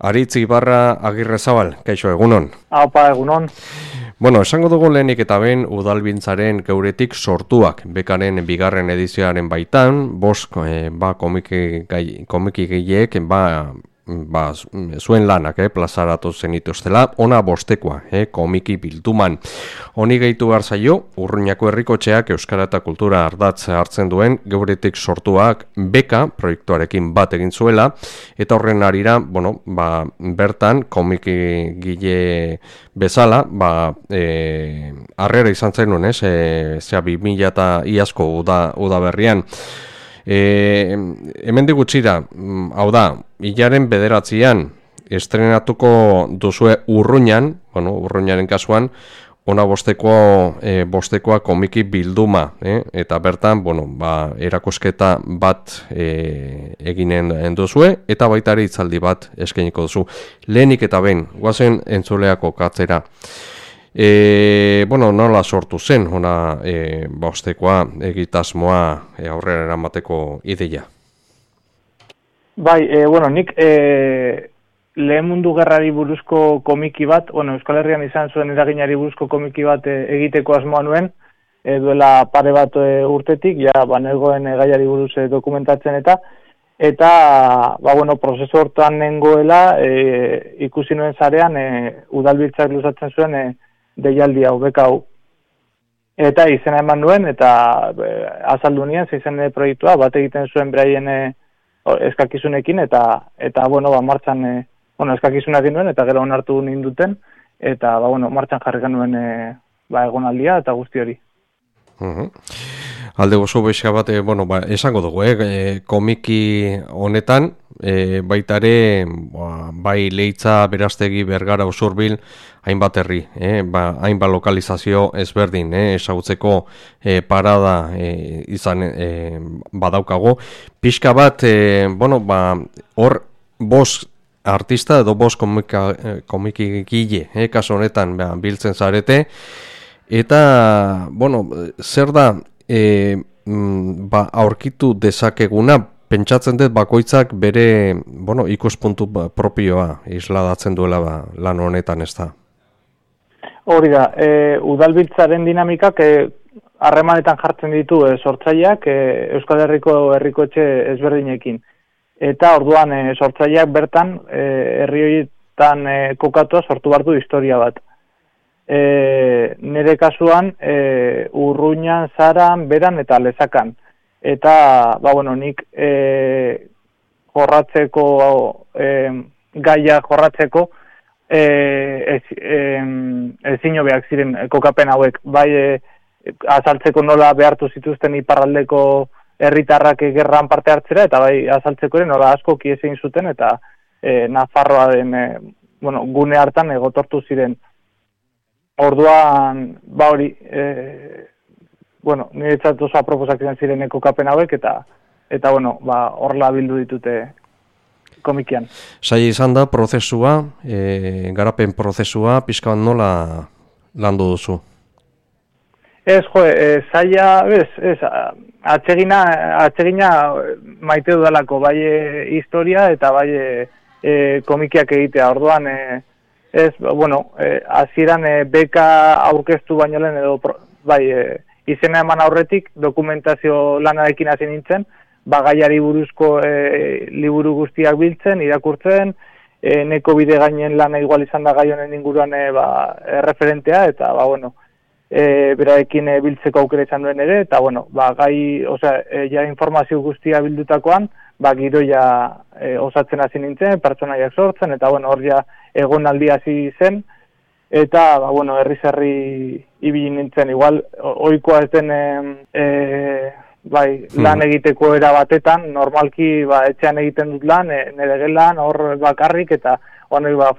Aritz Ibarra Agirrezabal, kaixo egunon. Apa, egunon. Bueno, esango dugu lehenik eta ben udalbiltzaren geuretik sortuak, bekaren bigarren edizioaren baitan, komiki gehiek, zuen lanak, plazaratu zenituztela, ona bostekoa, komiki bilduman. Honi gehitu behar zaio, Urruñako herrikotxeak Euskara eta Kultura ardatz hartzen duen geuretik sortuak beka proiektuarekin bat egin zuela, eta horren arira, bertan komiki gile bezala, harrera izan zenuen, 2000 eta iazko udaberrian. Hemen digutxira, hau da, hilaren 9 estrenatuko duzue Urruñan, Urruñaren kasuan, ona bostekoa komiki bilduma, eta bertan, erakusketa bat eginen duzue, eta baita ere hitzaldi bat eskainiko duzu. Lehenik eta ben, guazen entzuleako katzera. Nola sortu zen, ona bostekoa egitasmoa aurrera eramateko ideia? Bai, nik lehen mundu gerrari buruzko komiki bat, Euskal Herrian izan zuen eraginari buruzko komiki bat egiteko asmoa nuen, duela pare bat urtetik, negoen gaiari buruz dokumentatzen eta prozesu hortan nengoela ikusi nuen zarean udalbiltzak luzatzen zuen deialdi hau, beka hau. Eta izena eman nuen, eta azaldu nien, zeizen proiektua, bat egiten zuen beraien eskakizunekin, eta martxan, eskakizunak nuen, eta gero onartu ninduten, eta martxan jarri genuen egonaldia eta guzti hori. Alde gozo bexka bat, esango dugu, komiki honetan, baitare, bai Leitza, Berastegi, Bergara, Usurbil, hainbat herri, hainbat lokalizazio ezberdin, ezagutzeko parada izan badaukago. Pixka bat, hor bost artista edo bost komiki gile, kaso honetan biltzen zarete, eta, zer da, aurkitu dezakeguna, pentsatzen dut bakoitzak bere, ikuspuntu propioa isladatzen duela lan honetan, ez da? Hori da, udalbiltzaren dinamikak harremanetan jartzen ditu sortzaileak Euskal Herriko herrikotxe ezberdinekin. Eta orduan sortzaileak bertan herri horietan kokatua sortu bardu historia bat. Nire kasuan Urruñan, Zaran, Beran eta Lezakan. Eta, nik jorratzeko, gaia jorratzeko, ezin hobeak ziren kokapen hauek, bai azaltzeko nola behartu zituzten iparraldeko herritarrak gerran parte hartzera, eta bai azaltzeko ere nola asko kiezin zuten, eta Nafarroaren gune hartan egotortu ziren. Orduan, hori, niretzat oso aproposak ziren kokapen hauek, eta horrela bildu ditute komikian. Zaila izan da prozesua, garapen prozesua, pixka nola landu duzu? Zaila, atsegina maite dudalako, bai historia eta bai komikiak egitea. Orduan, hasieran beka aurkeztu baino lehen edo, izena eman aurretik dokumentazio lanarekin hasi nintzen, gaiari buruzko liburu guztiak biltzen, irakurtzen, neko bide gainen lana igual izan da gai honen inguruan referentea, eta beraekin biltzeko aukera izan duen ere, eta informazio guztia bildutakoan, giroia osatzen hasi nintzen, pertsonaiak sortzen, eta hor egonaldi hasi zen, eta herri ibili nintzen, igual, ohikoa ez den lan egiteko era batetan, normalki etxean egiten dut lan, nire gelan, hor bakarrik, eta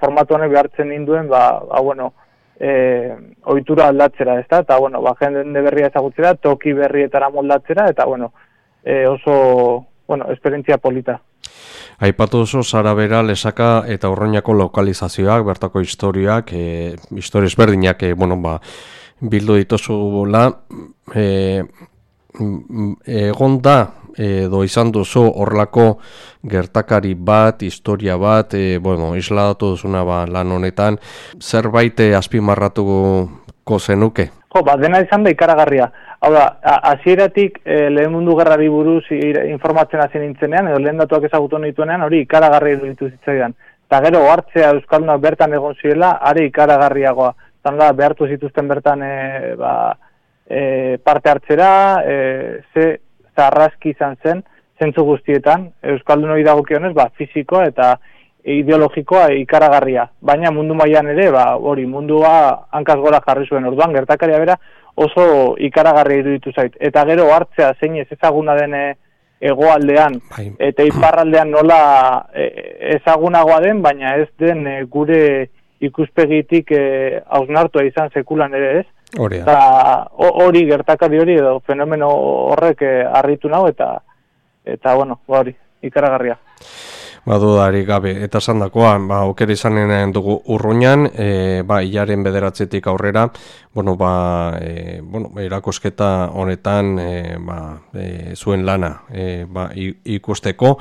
formatu honek behartzen ninduen, ohitura aldatzera, ezta? Eta, jende berria ezagutzera, toki berrietara moldatzera, eta, oso, esperientzia polita. Aipatu duzu Zara, Bera, Lezaka eta Urruñako lokalizazioak, bertako historiak, historia ezberdinak, bildu dituzula, egon da edo izan duzu horrelako gertakari bat, historia bat, isladatu duzuna lan honetan, zerbait azpimarratuko zenuke? Dena izan da ikaragarria. Hau da, hasieratik lehen mundu gerrari buruz informatzen hasi nintzenean, edo lehen datuak ezagutu nituenean, hori ikaragarria iruditu zitzaidan. Eta gero hartzea euskaldunak bertan egon zirela, are ikaragarriagoa. Zan da, behartu zituzten bertan parte hartzera, ze zarraski izan zen, zentzu guztietan, euskaldunoi dagokionez, fisikoa eta ideologikoa ikaragarria. Baina mundu mailan ere, hori mundua hankaz gora jarri zuen. Orduan, gertakaria bera oso ikaragarria iruditu zait. Eta gero hartzea zein ez ezaguna den hegoaldean eta iparraldean nola ezagunagoa den, baina ez den gure ikuspegitik hausnartua izan sekulan ere ez. Hori gertakari hori edo fenomeno horrek harritu nau eta hori, ikaragarria. Dudarik gabe, eta esandakoa, aukera izanen dugu Urruñan, hilaren 9 aurrera, erakusketa honetan zuen lana ikusteko.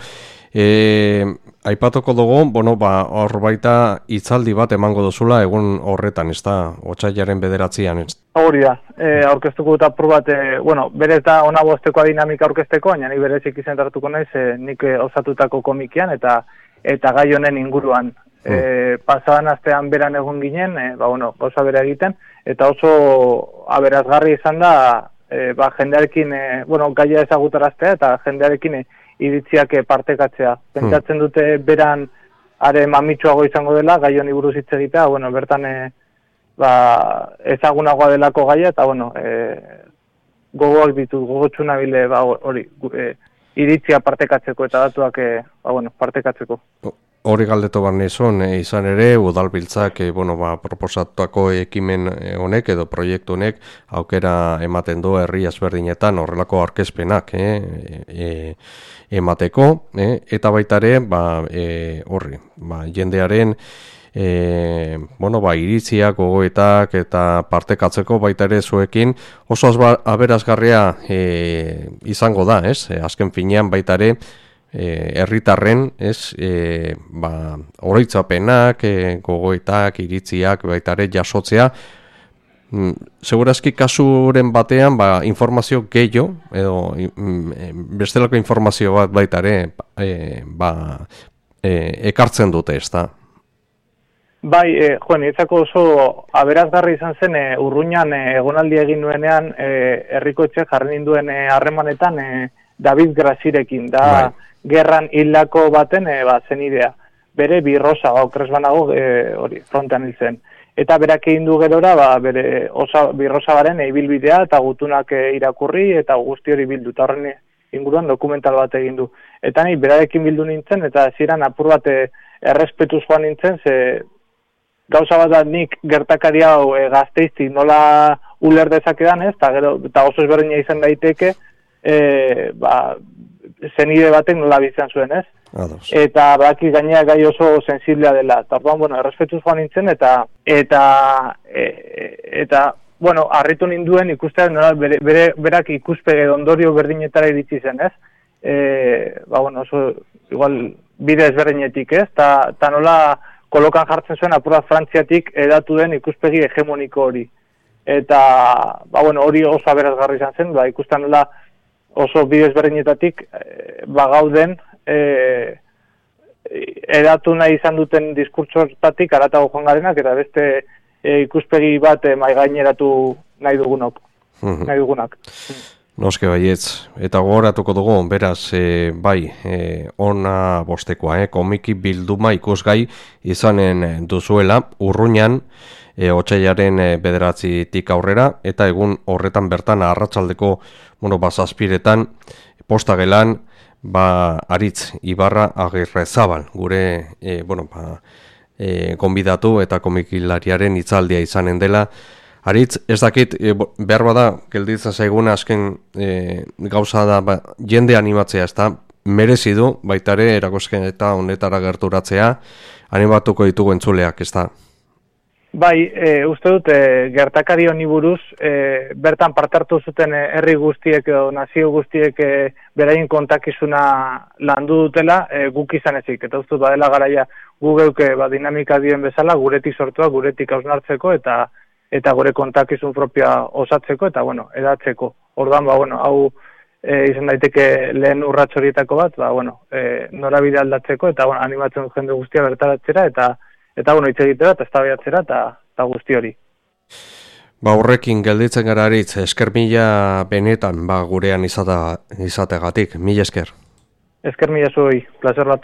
Aipatuko dugu, hor baita hitzaldi bat emango duzula egun horretan, ez da, otsailaren 9an. Hori da, aurkeztuko dut apur bat, berez da ona bosteko dinamika aurkezteko, baina nik berezik izentartuko naiz, nik osatutako komikian eta gai honen inguruan. Pasadan astean beran egon ginen, gauza bera egiten, eta oso aberazgarri izan da, jendearekin, gaia ezagutaraztea eta jendearekin iritziak partekatzea. Pentsatzen dute beran are mamitsuago izango dela, gai honi buruz hitz egitea, bertan ezagunagoa delako gaia, eta gogoak ditut, gogotsu nabile hori, iritzia partekatzeko eta datuak partekatzeko. Hori galdetu barnezon, izan ere, udalbiltzak proposatuako ekimen honek edo proiektu honek aukera ematen du herri ezberdinetan horrelako aurkezpenak emateko, eta baita ere, jendearen iritziak, gogoetak eta partekatzeko baita ere zuekin oso aberazgarria izango da, azken finean baita ere herritarren, oroitzapenak, gogoetak, iritziak baita ere jasotzea. Segurazki kasuren batean informazio gehiago edo bestelako informazio bat baita ere ekartzen dute, ez da? Niretzako oso aberazgarri izan zen Urruñan egonaldi egin nuenean herrikoetxe jarri ninduen harremanetan David Grasirekin, da gerran hildako baten zen idea. Bere birrosa, okrez banago frontean hil zen. Eta berak egin du gerora, bere birrosa baren ibilbidea eta gutunak irakurri eta guzti hori bildu. Eta horren inguruan dokumental bat egin du. Eta ni berarekin bildu nintzen eta ziren apur bat errespetuz joan nintzen, ze gauza bat da nik gertakari hau Gasteiztik nola uler dezakedan ez, eta oso ezberdina izan daiteke, zenide batek nola bizian zuen ez. Eta baki gainera gai oso sensiblea dela. Eta orduan, errespetuz joan nintzen eta harritu ninduen ikustean berak ikuspege ondorio berdinetara iritsi zen ez. Oso igual bide ezberdinetik ez, eta nola kolokan jartzen zuen apura Frantziatik edatu den ikuspegi hegemoniko hori. Eta hori oso aberazgarri izan zen, ikusten nola oso bide ezberdinetatik gauden edatu nahi izan duten diskurtsotatik aratago joan garenak eta beste ikuspegi bat maigaineratu nahi dugunak. Noske baietz, eta gogoratuko dugu, beraz, ona bostekoa, komiki bilduma ikusgai izanen duzuela, Urruñan, otsailaren 9tik aurrera, eta egun horretan bertan arratsaldeko, zazpiretan, postagelan, Aritz Ibarra Agirrezabal, gure, konbidatu eta komikilariaren hitzaldia izanen dela. Aritz, ez dakit, behar bada, gelditzen zaiguna azken gauza da, jende animatzea, ez da, merezi du, baitare, erakosketa honetara gerturatzea, animatuko ditugu entzuleak, ez da? Bai, uste dut, gertakari honi buruz, bertan parte hartu zuten herri guztiek edo nazio guztiek beraien kontakizuna landu dutela, guk izan ezik. Eta uste dut, badela garaia gu geuke dinamika dien bezala, guretik sortua, guretik hausnartzeko eta gure kontakizun propioa osatzeko eta, edatzeko. Orduan, hau izan daiteke lehen urrats horietako bat, norabide aldatzeko eta, animatzen dut jende guztia bertaratzera eta hitz egitera eta eztabaidatzera eta guzti hori. Horrekin gelditzen gara aritz, esker mila benetan gurean izategatik, mila esker. Esker mila zuei, plazer bat.